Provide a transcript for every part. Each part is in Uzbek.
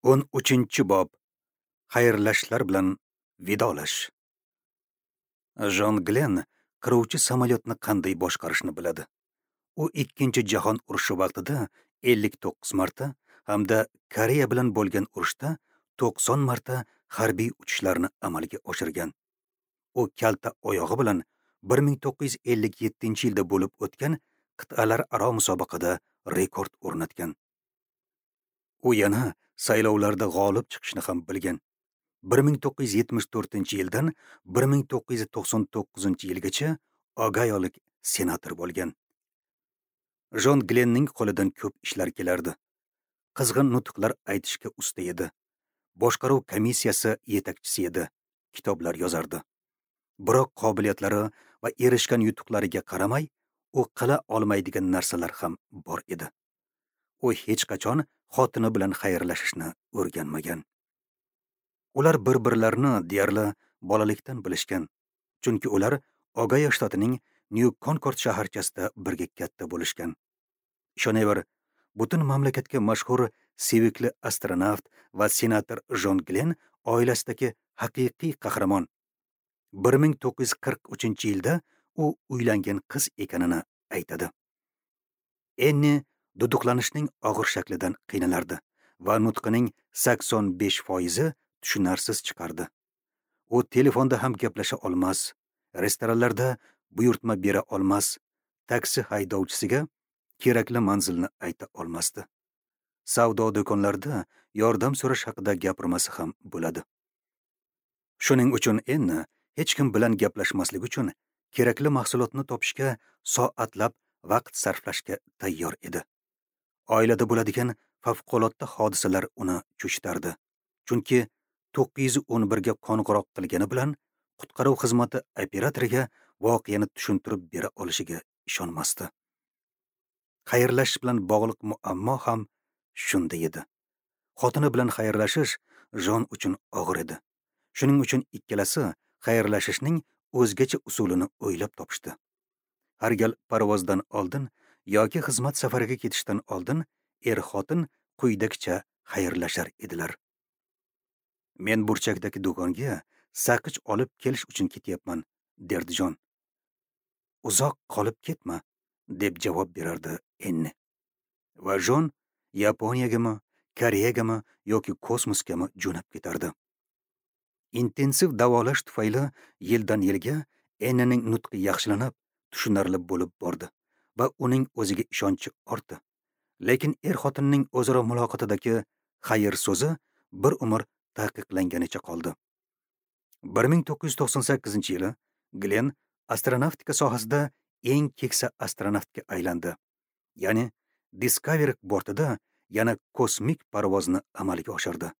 13-bob. Xayrlashlar bilan vidolash. Jon Glenn qiruvchi samolyotni qanday boshqarishni biladi. U 2-jahon urushi vaqtida 59 marta hamda Koreya bilan bo'lgan urushda 90 marta harbiy uchishlarni amalga oshirgan. U kalta oyog'i bilan 1957-yilda bo'lib o'tgan qit'alararo musobaqada rekord o'rnatgan. U yana saylovlarda g'olib chiqishni ham bilgan. 1974-yildan 1999-yilgacha Ogayolik senator bo'lgan. Jon Glenning qo'lidan ko'p ishlar kelardi. Qizg'in nutqlar aytishga usta edi. Boshqaruv komissiyasi yetakchisi edi. Kitoblar yozardi. Biroq qobiliyatlari va erishgan yutuqlariga qaramay, u qila olmaydigan narsalar ham bor edi. U hech qachon xotini bilan xayrlashishni o'rganmagan. Ular bir-birlarini deyarli bolalikdan bilishgan, chunki ular Ogayo shtatining New Concord shaharchasida birga katta bo'lishgan. Ishonaver, butun mamlakatga mashhur sevikli astronavt va senator Jon Glenn oilasidagi haqiqiy qahramon. 1943-yilda u uylangan qiz ekanini aytadi. Enni duduqlanishning og'ir shaklidan qiynalardi va nutqining 85% tushunarsiz chiqardi. U telefonda ham gaplasha olmas, restoranlarda buyurtma bera olmas, taksi haydovchisiga kerakli manzilni ayta olmasdi. Savdo do'konlarida yordam so'rash haqida gapirmasa ham bo'ladi. Shuning uchun Enni hech kim bilan gaplashmaslik uchun kerakli mahsulotni topishga soatlab vaqt sarflashga tayyor edi. Oilada bo'ladigan favqulodda hodisalar uni cho'chitardi. Chunki 911 ga qo'ng'iroq qilgani bilan qutqaruv xizmati operatoriga voqeani tushuntirib bera olishiga ishonmasdi. Xayrlashish bilan bog'liq muammo ham shunda edi. Xotini bilan xayrlashish Jon uchun og'ir edi. Shuning uchun ikkalasi xayrlashishning o'zgacha usulini o'ylab topishdi. Har gal parvozdan oldin yoki xizmat safariga ketishdan oldin er-xotin quyidagicha xayrlashar edilar. Men burchakdagi do'konga saqich olib kelish uchun ketyapman, derdi Jon. Uzoq qolib ketma, deb javob berardi Enni. Va Jon Yaponiyagami, Koreyagami yoki kosmosgami jo'nab ketardi. Intensiv davolash tufayli yildan yilga Ennining nutqi yaxshilanib, tushunarli bo'lib bordi va uning o'ziga ishonchi ortdi. Lekin er-xotinning o'zaro muloqotidagi xayr so'zi bir umr taqiqlanganicha qoldi. 1998-yili Glenn astronavtika sohasida eng keksa astronavtga aylandi. Ya'ni Discovery bortida yana kosmik parvozni amalga oshirdi.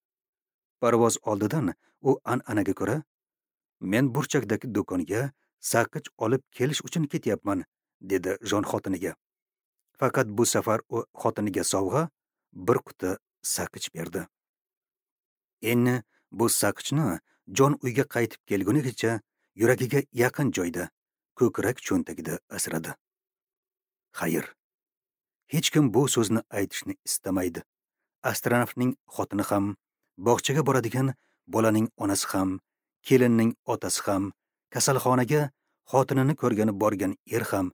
Parvoz oldidan u an'anaga ko'ra, "Men burchakdagi do'konga saqich olib kelish uchun ketyapman", dedi Jon xotiniga. Faqat bu safar u xotiniga sovg'a bir quti saqich berdi. Enni bu saqichni Jon uyga qaytib kelgunigacha yuragiga yaqin joyda, ko'krak cho'ntagida asradi. Xayr. Hech kim bu so'zni aytishni istamaydi. Astronavtning xotini ham, bog'chaga boradigan bolaning onasi ham, kelinning otasi ham, kasalxonaga xotinini ko'rgani borgan er ham,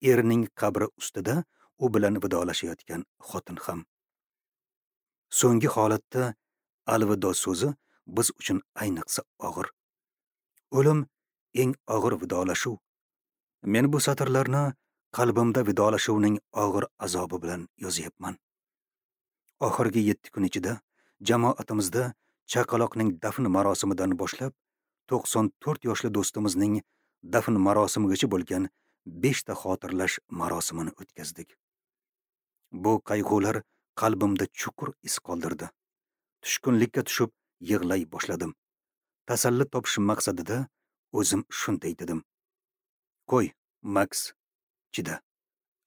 erining qabri ustida u bilan vidolashayotgan xotin ham. So'nggi holatda alvido so'zi biz uchun ayniqsa og'ir. O'lim eng og'ir vidolashuv. Men bu satrlarni qalbimda vidolashuvning og'ir azobi bilan yozyapman. Oxirgi 7 kun ichida jamoatimizda chaqaloqning dafn marosimidan boshlab 94 yoshli do'stimizning dafn marosimigacha bo'lgan 5 ta xotirlash marosimini o'tkazdik. Bu qayg'ular qalbimda chuqur iz qoldirdi. Tushkunlikka tushib yig'lay boshladim. Tasalli topish maqsadida o'zim shunday dedim: "Qo'y, Max, chida.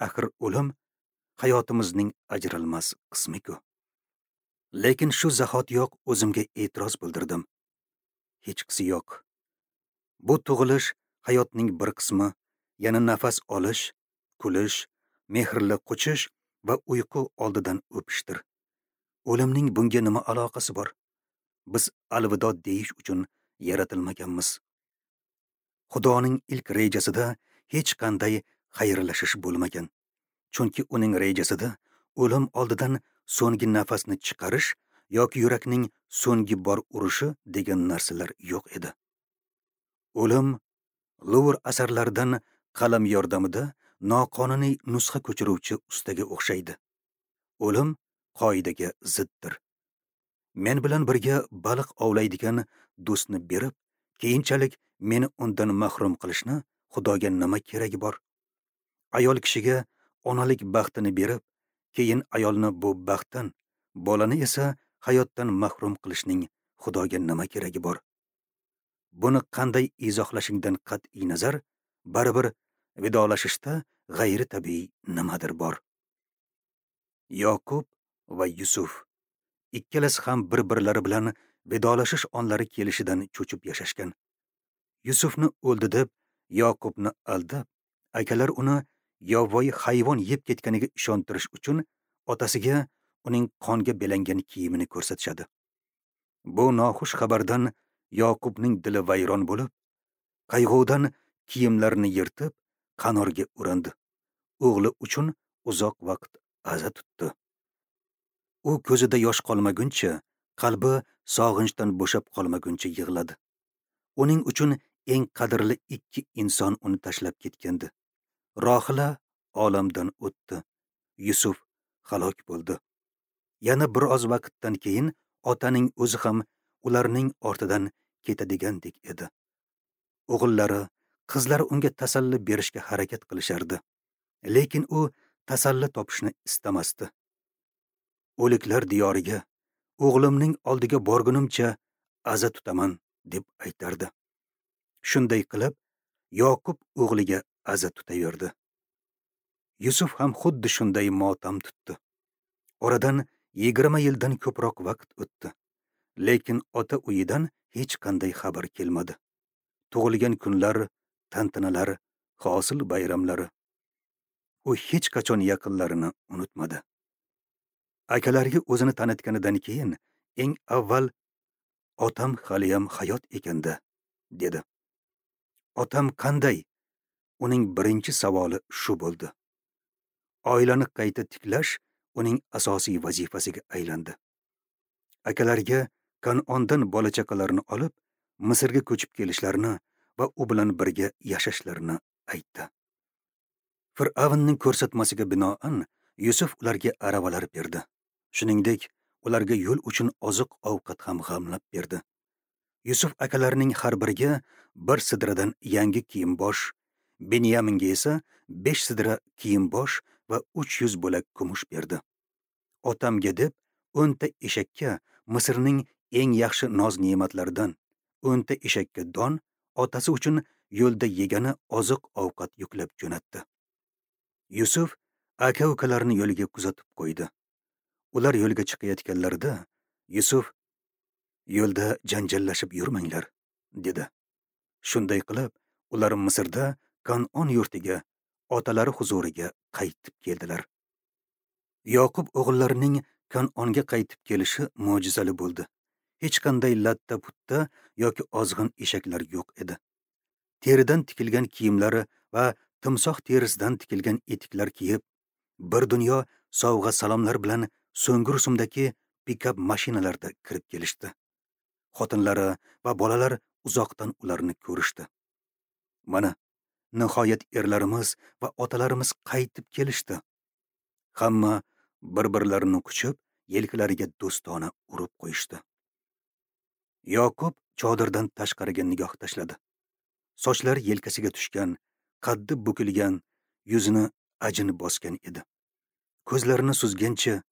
Axir o'lim hayotimizning ajralmas qismi-ku." Lekin shu zahotiyoq o'zimga e'tiroz bildirdim. Hechqisi yo'q. Bu tug'ilish hayotning bir qismi, yana nafas olish, kulish, mehrli quchish va uyqu oldidan o'pishdir. O'limning bunga nima aloqasi bor? Biz alvido deyish uchun yaratilmaganmiz. Xudoning ilk rejasida hech qanday xayrlashish bo'lmagan. Chunki uning rejasida o'lim oldidan so'nggi nafasni chiqarish yoki yurakning so'nggi bor urishi degan narsalar yo'q edi. O'lim Luvr asarlaridan qalam yordamida noqonuniy nusxa ko'chiruvchi ustaga o'xshaydi. O'lim qoidaga ziddir. Men bilan birga baliq ovlaydigan do'stni berib, keyinchalik meni undan mahrum qilishni Xudoga nima keragi bor? Ayol kishiga onalik baxtini berib, keyin ayolni bu baxtdan, bolani esa hayotdan mahrum qilishning Xudoga nima keragi bor? Buni qanday izohlashingdan qat'iy nazar, baribir vidolashishda g'ayri-tabiiy nimadir bor. Yoqub va Yusuf ikkalasi ham bir-birlari bilan vidolashish onlari kelishidan cho'chib yashashgan. Yusufni o'ldi deb Yoqubni aldab, akalar uni yovvoyi hayvon yeb ketganiga ishontirish uchun otasiga uning qonga belangan kiyimini ko'rsatishadi. Bu noxush xabardan Yoqubning dili vayron bo'lib, qayg'udan kiyimlarini yirtib, qanorga urindi. O'g'li uchun uzoq vaqt aza tutdi. U ko'zida yosh qolmaguncha, qalbi sog'inchdan bo'shab qolmaguncha yig'ladi. Uning uchun eng qadrli ikki inson uni tashlab ketgandi. Rohila olamdan o'tdi. Yusuf halok bo'ldi. Yana bir oz vaqtdan keyin otaning o'zi ham ularning ortidan ketadigandek edi. O'g'illari, qizlari unga tasalli berishga harakat qilishardi. Lekin u tasalli topishni istamasdi. O'liklar diyoriga, o'g'limning oldiga borgunimcha aza tutaman, deb aytardi. Shunday qilib, Yoqub o'g'liga aza tutaverdi. Yusuf ham xuddi shunday motam tutdi. Oradan 20 yildan ko'proq vaqt o'tdi. Lekin ota uyidan hech qanday xabar kelmadi. Tug'ilgan kunlar, tantanalar, hosil bayramlari. U hech qachon yaqinlarini unutmadi. Akalariga o'zini tanitganidan keyin eng avval otam haliyam hayot ekanda, dedi. Otam qanday? Uning birinchi savoli shu bo'ldi. Oilani qayta tiklash uning asosiy vazifasiga aylandi. Akalariga Kanondan bola-chaqalarini olib, Misrga ko'chib kelishlarini va u bilan birga yashashlarini aytdi. Fir'avnning ko'rsatmasiga binoan Yusuf ularga aravalar berdi. Shuningdek, ularga yo'l uchun oziq-ovqat ham g'amlab berdi. Yusuf akalarining har biriga bir sidradan yangi kiyim-bosh, Binyaminga esa 5 sidra kiyim-bosh va 300 bo'lak kumush berdi. Otamga deb 10 ta eshakka Misrning eng yaxshi noz-ne'matlaridan 10 ta eshakka don, otasi uchun yo'lda yegani oziq-ovqat yuklab jo'natdi. Yusuf aka-ukalarini yo'lga kuzatib qo'ydi. Ular yo'lga chiqayotganlarida Yusuf: "Yo'lda janjallashib yurmanglar", dedi. Shunday qilib, ular Misrda Kanon yurtiga, otalari huzuriga qaytib keldilar. Yoqub o'g'illarining Kanonga qaytib kelishi mo'jizali bo'ldi. Hech qanday latta-putta yoki ozg'in eshaklar yo'q edi. Teridan tikilgan kiyimlari va timsoh terisidan tikilgan etiklar kiyib, bir dunyo sovg'a salomlar bilan so'nggi rusumdagi pikap mashinalarda kirib kelishdi. Xotinlari va bolalar uzoqdan ularni ko'rishdi. Mana, nihoyat erlarimiz va otalarimiz qaytib kelishdi. Hamma bir-birlarini quchib, yelkalariga do'stona urib qo'yishdi. Yoqub chodirdan tashqariga nigoh tashladi. Sochlari yelkasiga tushgan, qaddi bukilgan, yuzini ajin bosgan edi. Ko'zlarini suzgancha,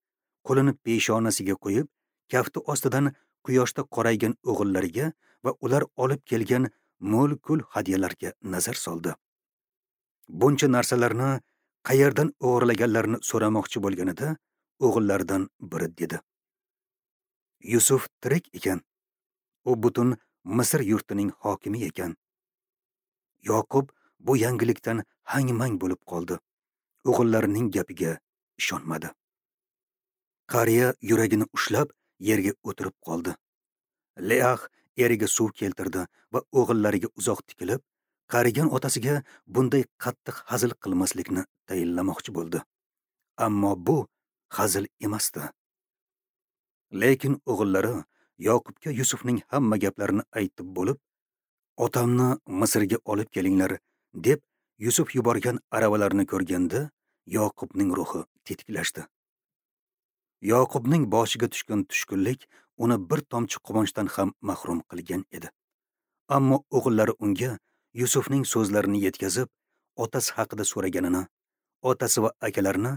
qo'lini peshonasiga qo'yib, kafti ostidan quyoshda qoraygan o'g'illariga va ular olib kelgan mo'l-kul hadyalarga nazar soldi. Buncha narsalarni qayerdan o'g'irlaganlarini so'ramoqchi bo'lganida o'g'illaridan biri dedi: Yusuf tirik ekan. U butun Misr yurtining hokimi ekan. Yoqub bu yangilikdan hang-mang bo'lib qoldi. O'g'illarining gapiga ishonmadi. Qariya yuragini ushlab yerga o'tirib qoldi. Leah eriga suv keltirdi va o'g'illariga uzoq tikilib, qarigan otasiga bunday qattiq hazil qilmaslikni tayinlamoqchi bo'ldi. Ammo bu hazil emasdi. Lekin o'g'illari Yoqubga Yusufning hamma gaplarini aytib bo'lib, otamni Misrga olib kelinglar deb Yusuf yuborgan aravalarni ko'rganda Yoqubning ruhi tetiklashdi. Yoqubning boshiga tushgan tushkunlik uni bir tomchi quvonchdan ham mahrum qilgan edi. Ammo o'g'illari unga Yusufning so'zlarini yetkazib, otasi haqida so'raganini, otasi va akalarini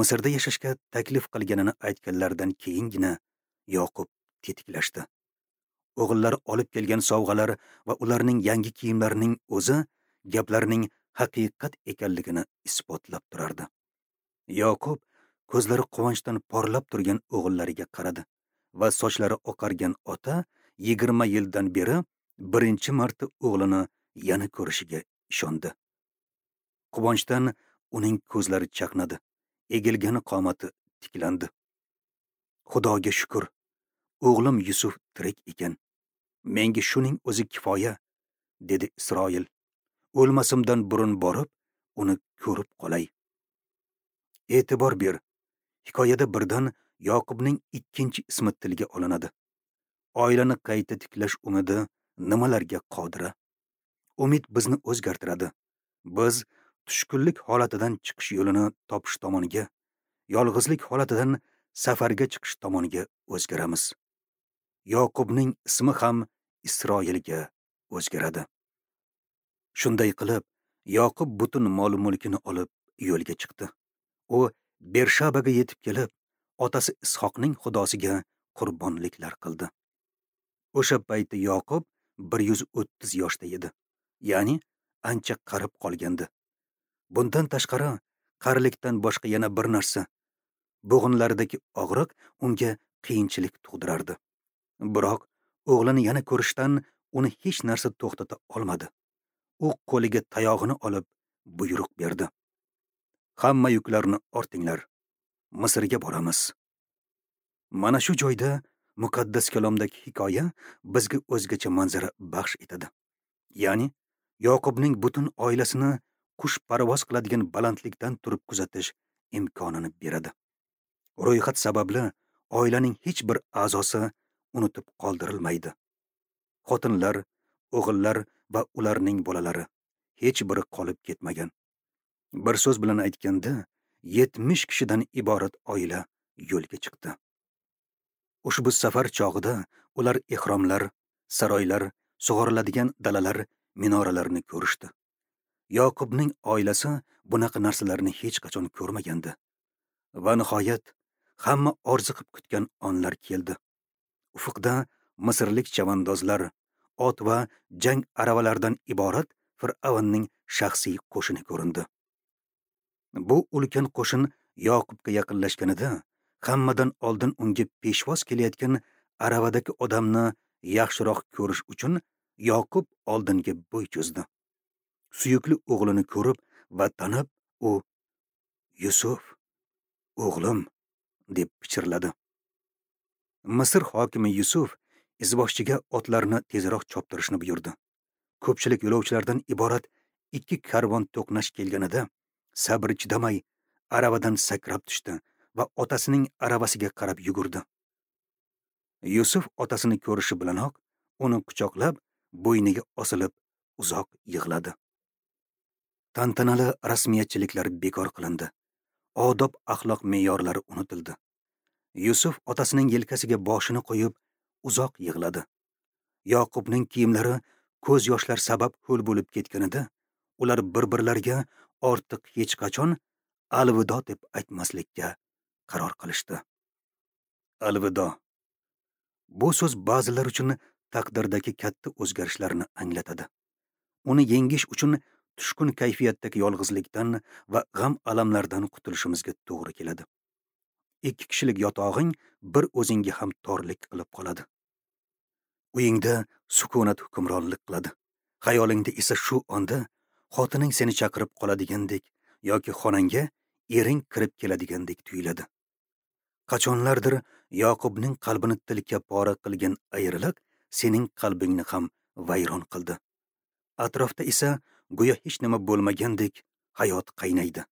Misrda yashashga taklif qilganini aytganlaridan keyingina Yoqub tetiklashdi. O'g'illari olib kelgan sovg'alar va ularning yangi kiyimlarining o'zi gaplarning haqiqat ekanligini isbotlab turardi. Yoqub ko'zlari quvonchdan porlab turgan o'g'illariga qaradi va sochlari oqargan ota 20 yildan beri birinchi marta o'g'lini yana ko'rishiga ishondi. Quvonchdan uning ko'zlari chaqnadi, egilgan qomati tiklandi. Xudoga shukr, o'g'lim Yusuf tirik ekan. Menga shuning o'zi kifoya, dedi Isroil. O'lmasimdan burun borib, uni ko'rib qolay. E'tibor ber. Hikoyada birdan Yoqubning ikkinchi ismi tilga olinadi. Oilani qayta tiklash umidi nimalarga qodir? Umid bizni o'zgartiradi. Biz tushkunlik holatidan chiqish yo'lini topish tomoniga, yolg'izlik holatidan safarga chiqish tomoniga o'zgaramiz. Yoqubning ismi ham Isroilga o'zgaradi. Shunday qilib, Yoqub butun mol-mulkini olib yo'lga chiqdi. U Bershabaga yetib kelib, otasi Ishoqning xudosiga qurbonliklar qildi. O'sha paytda Yoqub 130 yoshda edi, ya'ni ancha qarib qolgandi. Bundan tashqari, qarilikdan boshqa yana bir narsa, bo'g'inlaridagi og'riq unga qiyinchilik tug'dirardi. Biroq o'g'lini yana ko'rishdan uni hech narsa to'xtata olmadi. U qo'liga tayog'ini olib buyruq berdi. Hamma yuklarni ortinglar. Misrga boramiz. Mana shu joyda muqaddas kalomdagi hikoya bizga o'zgacha manzara baxsh etadi. Ya'ni Yoqubning butun oilasini qush parvoz qiladigan balandlikdan turib kuzatish imkonini beradi. Ro'yxat sababli oilaning hech bir a'zosi unutib qoldirilmaydi. Xotinlar, o'g'illar va ularning bolalari hech biri qolib ketmagan. Bir so'z bilan aytganda, 70 kishidan iborat oila yo'lga chiqdi. Ushbu safar chog'ida ular ehromlar, saroylar, sug'oriladigan dalalar, minoralarni ko'rishdi. Yoqubning oilasi bunaqa narsalarni hech qachon ko'rmagandi. Va nihoyat hamma orziqib kutgan onlar keldi. Ufqda misrlik chavandozlar, ot va jang aravalaridan iborat Fir'avnning shaxsiy qo'shini ko'rindi. Bu ulkan qo'shin Yoqubga yaqinlashganida, hammadan oldin unga peshvoz kelayotgan aravadagi odamni yaxshiroq ko'rish uchun Yoqub oldinga bo'y cho'zdi. Suyukli o'g'lini ko'rib va tanib, u "Yusuf, o'g'lim" deb pichirladi. Misr hokimi Yusuf izboshchiga otlarni tezroq choptirishni buyurdi. Ko'pchilik yo'lovchilardan iborat ikki karvon to'qnash kelganida sabri chidamay aravadan sakrab tushdi va otasining aravasiga qarab yugurdi. Yusuf otasini ko'rishi bilanoq uni quchoqlab, bo'yniga osilib uzoq yig'ladi. Tantanali rasmiyatchiliklar bekor qilindi. Odob axloq me'yorlari unutildi. Yusuf otasining yelkasiga boshini qo'yib uzoq yig'ladi. Yoqubning kiyimlari ko'z yoshlar sabab ho'l bo'lib ketganida, ular bir-birlariga ortiq hech qachon alvido deb aytmaslikka qaror qilishdi. Alvido. Bu so'z ba'zilar uchun taqdirdagi katta o'zgarishlarni anglatadi. Uni yengish uchun tushkun kayfiyatdagi yolg'izlikdan va g'am alamlardan qutulishimizga to'g'ri keladi. Ikki kishilik yotog'ing bir o'zingga ham torlik qilib qoladi. Uyingda sukunat hukmronlik qiladi. Xayolingda esa shu onda xotining seni chaqirib qoladigandek yoki xonangga ering kirib keladigandek tuyuladi. Qachonlardir Yoqubning qalbini tilka pora qilgan ayriliq sening qalbingni ham vayron qildi. Atrofda esa go'yo hech nima bo'lmagandek hayot qaynaydi.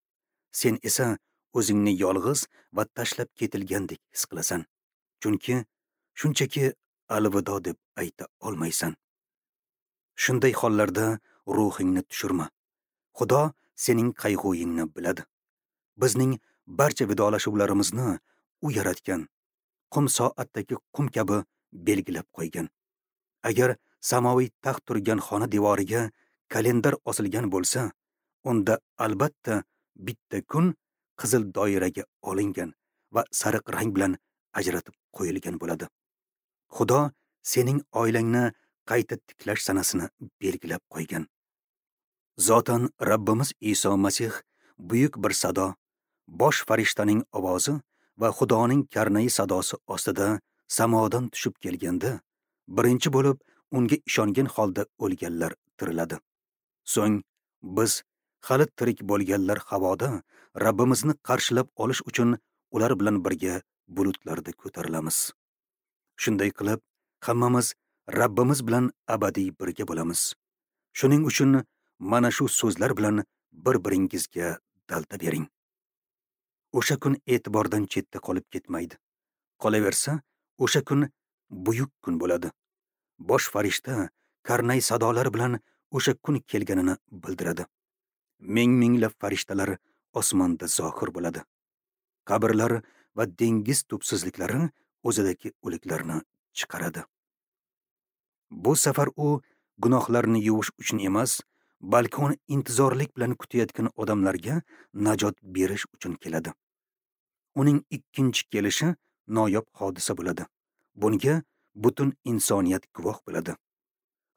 Sen esa o'zingni yolg'iz va tashlab ketilgandek his qilasan. Chunki shunchaki alvido deb ayta olmaysan. Shunday hollarda ruhingni tushirma. Xudo sening qayg'uyingni biladi. Bizning barcha vidolashuvlarimizni u yaratgan, qum soatdagi qum kabi belgilab qo'ygan. Agar samoviy taxt turgan xona devoriga kalendar osilgan bo'lsa, unda albatta bitta kun qizil doiraga olingan va sariq rang bilan ajratib qo'yilgan bo'ladi. Xudo sening oilangni qayta tiklash sanasini belgilab qo'ygan. Zotan Rabbimiz Iso Masih buyuk bir sado, bosh farishtaning ovozi va Xudoning karnayi sadosi ostida samodan tushib kelganda, birinchi bo'lib unga ishongan holda o'lganlar tiriladi. So'ng biz hali tirik bo'lganlar havoda Rabbimizni qarshilab olish uchun ular bilan birga bulutlarda ko'tarilamiz. Shunday qilib, hammamiz Rabbimiz bilan abadiy birga bo'lamiz. Shuning uchun mana shu so'zlar bilan bir-biringizga dalda bering. O'sha kun e'tibordan chetda qolib ketmaydi. Qolaversa, o'sha kun buyuk kun bo'ladi. Bosh farishta karnay sadolar bilan o'sha kun kelganini bildiradi. Ming-minglab farishtalar osmonda zohir bo'ladi. Qabrlar va dengiz tubsizliklari o'zidagi o'liklarni chiqaradi. Bu safar u gunohlarni yuvish uchun emas, balki uni intizorlik bilan kutayotgan odamlarga najot berish uchun keladi. Uning ikkinchi kelishi noyob hodisa bo'ladi. Bunga butun insoniyat guvoh bo'ladi.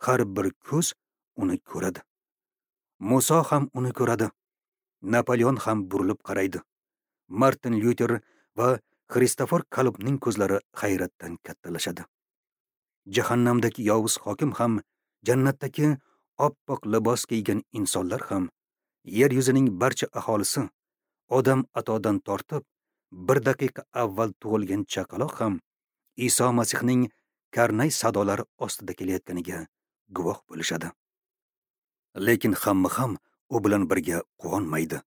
Har bir ko'z uni ko'radi. Muso ham uni ko'radi. Napoleon ham burilib qaraydi. Martin Lyuter va Xristofor Kolumbning ko'zlari hayratdan kattalashadi. Jahannamdagi yovuz hokim ham, jannatdagi oppoq libos kiygan insonlar ham, yer yuzining barcha aholisi, odam atodan tortib, bir daqiqa avval tug'ilgan chaqaloq ham Iso Masihning karnay sadolari ostida kelayotganiga guvoh bo'lishadi. Lekin hamma ham u bilan birga quvonmaydi.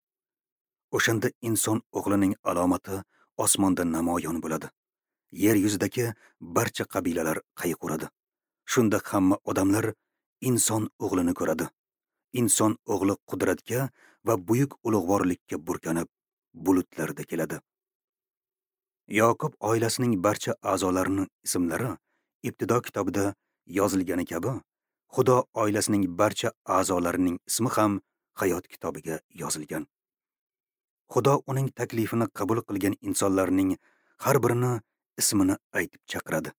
O'shanda inson o'g'lining alomati osmonda namoyon bo'ladi. Yer yuzidagi barcha qabilalar qayg'uradi. Shunda hamma odamlar inson o'g'lini ko'radi. Inson o'g'li qudratga va buyuk ulug'vorlikka burkanib, bulutlarda keladi. Yoqub oilasining barcha a'zolarining ismlari Ibtido kitobida yozilgani kabi, Xudo oilasining barcha a'zolarining ismi ham Hayot kitobiga yozilgan. Xudo uning taklifini qabul qilgan insonlarning har birini ismini aytib chaqiradi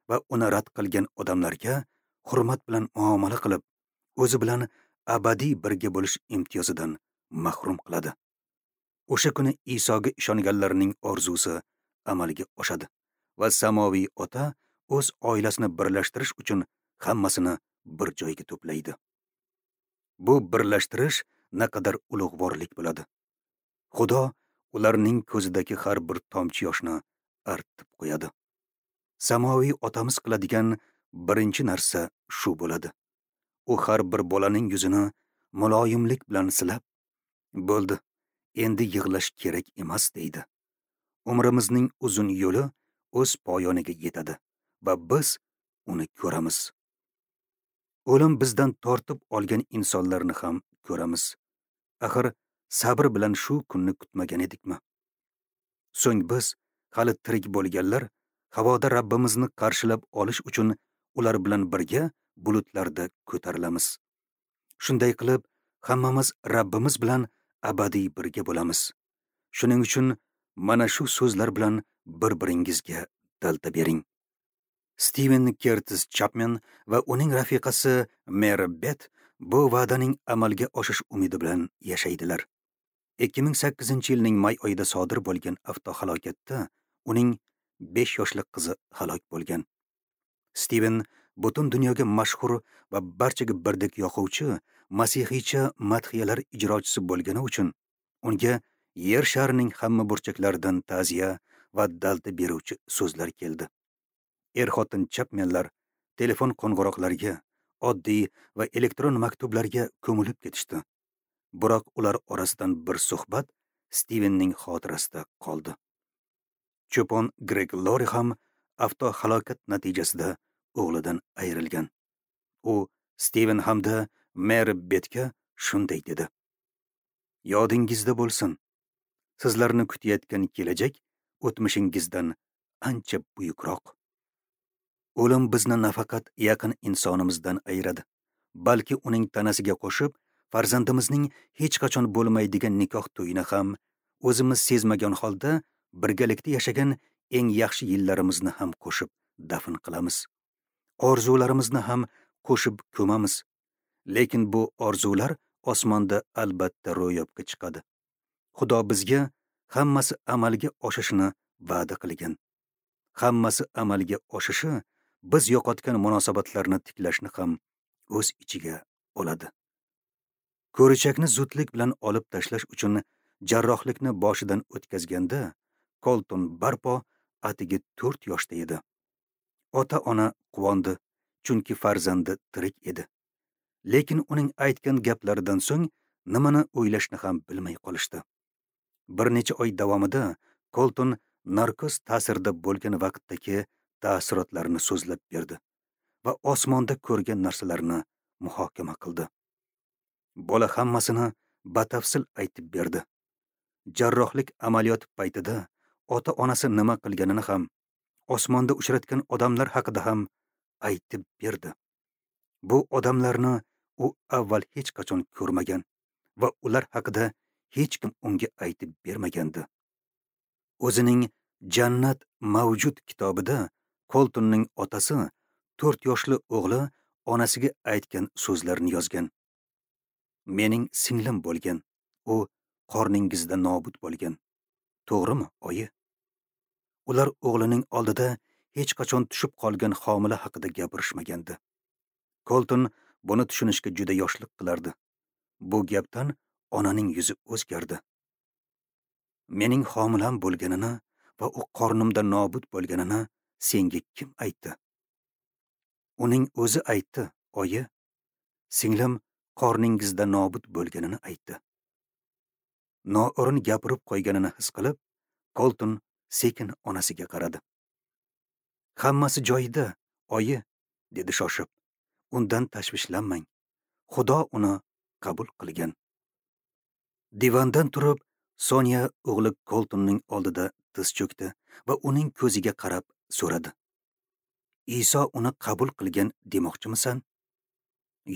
va uni rad qilgan odamlarga hurmat bilan muomala qilib, o'zi bilan abadiy birga bo'lish imtiyozidan mahrum qiladi. O'sha kuni Isoga ishonganlarning orzusi amalga oshadi va samoviy ota o'z oilasini birlashtirish uchun hammasini bir joyga to'playdi. Bu birlashtirish naqadar ulug'vorlik bo'ladi. Xudo ularning ko'zidagi har bir tomchi yoshni artib qo'yadi. Samoviy otamiz qiladigan birinchi narsa shu bo'ladi. U har bir bolaning yuzini muloyimlik bilan silab, "Bo'ldi, endi yig'lash kerak emas" deydi. Umrimizning uzun yo'li o'z poyoniga yetadi va biz uni ko'ramiz. O'lim bizdan tortib olgan insonlarni ham ko'ramiz. Axir sabr bilan shu kunni kutmagan edikmi? So'ng biz hali tirik bo'lganlar havoda Rabbimizni qarshilab olish uchun ular bilan birga bulutlarda ko'tarilamiz. Shunday qilib, hammamiz Rabbimiz bilan abadiy birga bo'lamiz. Shuning uchun mana shu so'zlar bilan bir-biringizga dalda bering. Steven Kertis Chapman va uning rafiqasi Mary Bet bu va'daning amalga oshish umidi bilan yashaydilar. 2008-yilning may oyida sodir bo'lgan avtohalokatda uning 5 yoshli qizi halok bo'lgan. Steven butun dunyoga mashhur va barchaga birdek yoquvchi masihiycha madhiyalar ijrochisi bo'lgani uchun unga yer sharining hamma burchaklaridan ta'ziya va dalda beruvchi so'zlar keldi. Er-xotin Chapmanlar telefon qo'ng'iroqlariga, oddiy va elektron maktublarga ko'milib ketishdi. Biroq ular orasidan bir suhbat Stivenning xotirasida qoldi. Cho'pon Greg Lori ham avtohalokat natijasida o'g'lidan ayrilgan. U Stiven hamda Meri Betga shunday dedi: "Yodingizda bo'lsin, sizlarni kutayotgan kelajak o'tmishingizdan ancha buyukroq. O'lim bizni nafaqat yaqin insonimizdan ayiradi, balki uning tanasiga qo'shib, farzandimizning hech qachon bo'lmaydigan nikoh to'yini ham, o'zimiz sezmagan holda birgalikda yashagan eng yaxshi yillarimizni ham qo'shib dafn qilamiz. Orzularimizni ham qo'shib ko'mamiz. Lekin bu orzular osmonda albatta ro'yobga chiqadi. Xudo bizga hammasi amalga oshishini va'da qilgan. Hammasi amalga oshishi biz yo'qotgan munosabatlarni tiklashni ham o'z ichiga oladi." Ko'richakni zudlik bilan olib tashlash uchun jarrohlikni boshidan o'tkazganda Kolton barpo atigi 4 yoshda edi. Ota-ona quvondi, chunki farzandi tirik edi. Lekin uning aytgan gaplaridan so'ng nimani o'ylashni ham bilmay qolishdi. Bir necha oy davomida Kolton narkoz ta'sirida bo'lgan vaqtdagi taassurotlarini so'zlab berdi va osmonda ko'rgan narsalarini muhokama qildi. Bola hammasini batafsil aytib berdi. Jarrohlik amaliyoti paytida ota-onasi nima qilganini ham, osmonda uchratgan odamlar haqida ham aytib berdi. Bu odamlarni u avval hech qachon ko'rmagan va ular haqida hech kim unga aytib bermagandi. O'zining Jannat mavjud kitobida Koltonning otasi 4 yoshli o'g'li onasiga aytgan so'zlarni yozgan. "Mening singlim bo'lgan, u qorningizda nobud bo'lgan. To'g'rimi, oyi?" Ular o'g'lining oldida hech qachon tushib qolgan homila haqida gapirishmagandi. Kolton buni tushunishga juda yoshlik qilardi. Bu gapdan onaning yuzi o'zgardi. "Mening homilam bo'lganini va u qornimda nobud bo'lganini senga kim aytdi?" "Uning o'zi aytdi, oyi. Singlim qorningizda nobud bo'lganini aytdi." Noo'rin gapirib qo'yganini his qilib, Kolton sekin onasiga qaradi. "Hammasi joyida, oyi," dedi shoshib. "Undan tashvishlanmang. Xudo uni qabul qilgan." Divandan turib, Sonya o'g'li Koltonning oldida tiz cho'kdi va uning ko'ziga qarab so'radi: "Iso uni qabul qilgan demoqchimisan?"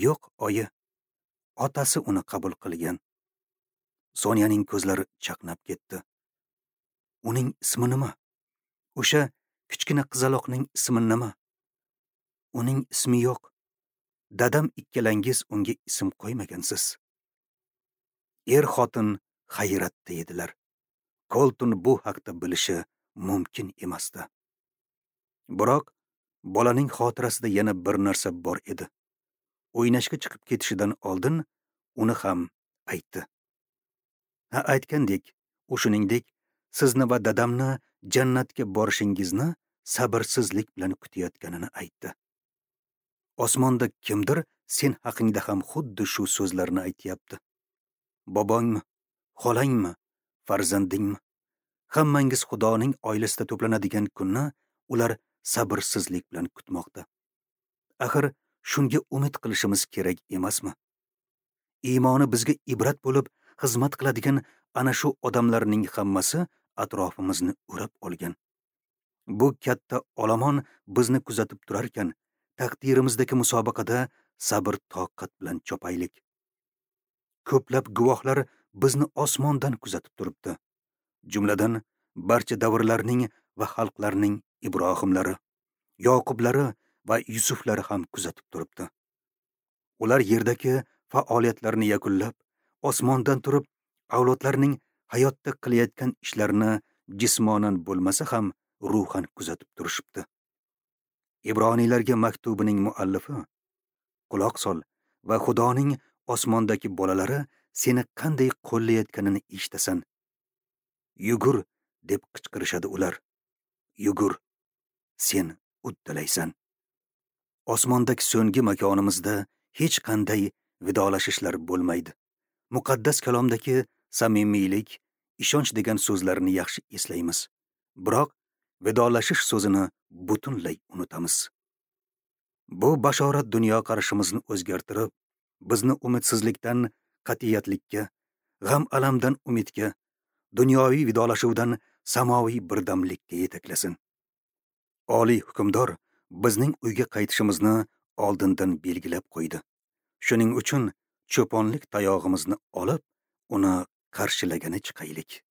"Yo'q, oyi. Otasi uni qabul qilgan." Sonyaning ko'zlari chaqnab ketdi. "Uning ismi nima? O'sha kichkina qizaloqning ismi nima?" "Uning ismi yo'q. Dadam ikkalangiz unga ism qo'ymagansiz." Er-xotin hayratda edilar. Kolton bu haqda bilishi mumkin emasdi. Biroq bolaning xotirasida yana bir narsa bor edi. O'ynashga chiqib ketishidan oldin uni ham aytdi. "Ha, aytgandek, u shuningdek sizni va dadamni jannatga borishingizni sabrsizlik bilan kutayotganini aytdi. Osmonda kimdir sen haqingda ham xuddi shu so'zlarni aytyapti. Bobongmi, xolangmi, farzandingmi? Hammangiz Xudoning oilasida to'planadigan kunni ular sabrsizlik bilan kutmoqda. Axir shunga umid qilishimiz kerak emasmi? Iymoni bizga ibrat bo'lib xizmat qiladigan ana shu odamlarning hammasi atrofimizni o'rab olgan. Bu katta olomon bizni kuzatib turar ekan, taqdirimizdagi musobaqada sabr toqat bilan chopaylik. Ko'plab guvohlar bizni osmondan kuzatib turibdi. Jumladan barcha davrlarning va xalqlarning Ibrohimlari, Yoqublari va Yusuflari ham kuzatib turibdi. Ular yerdagi faoliyatlarini yakunlab, osmondan turib, avlodlarning hayotda qilayotgan ishlarini jismonan bo'lmasa ham ruhan kuzatib turishibdi. Ibroniylarga maktubining muallifi: quloq sol va Xudoning osmondagi bolalari seni qanday qo'llayotganini eshitasan. Yugur, deb qichqirishadi ular. Yugur, sen uddalaysan. Osmondagi so'nggi makonimizda hech qanday vidolashishlar bo'lmaydi. Muqaddas kalomdagi samimiylik, ishonch degan so'zlarni yaxshi eslaymiz. Biroq vidolashish so'zini butunlay unutamiz. Bu bashorat dunyoqarashimizni o'zgartirib, bizni umidsizlikdan qat'iyatlikka, g'am alamdan umidga, dunyoviy vidolashuvdan samoviy birdamlikka yetaklasin. Oliy hukmdor bizning uyga qaytishimizni oldindan belgilab qo'ydi. Shuning uchun cho'ponlik tayog'imizni olib, uni qarshilagani chiqaylik.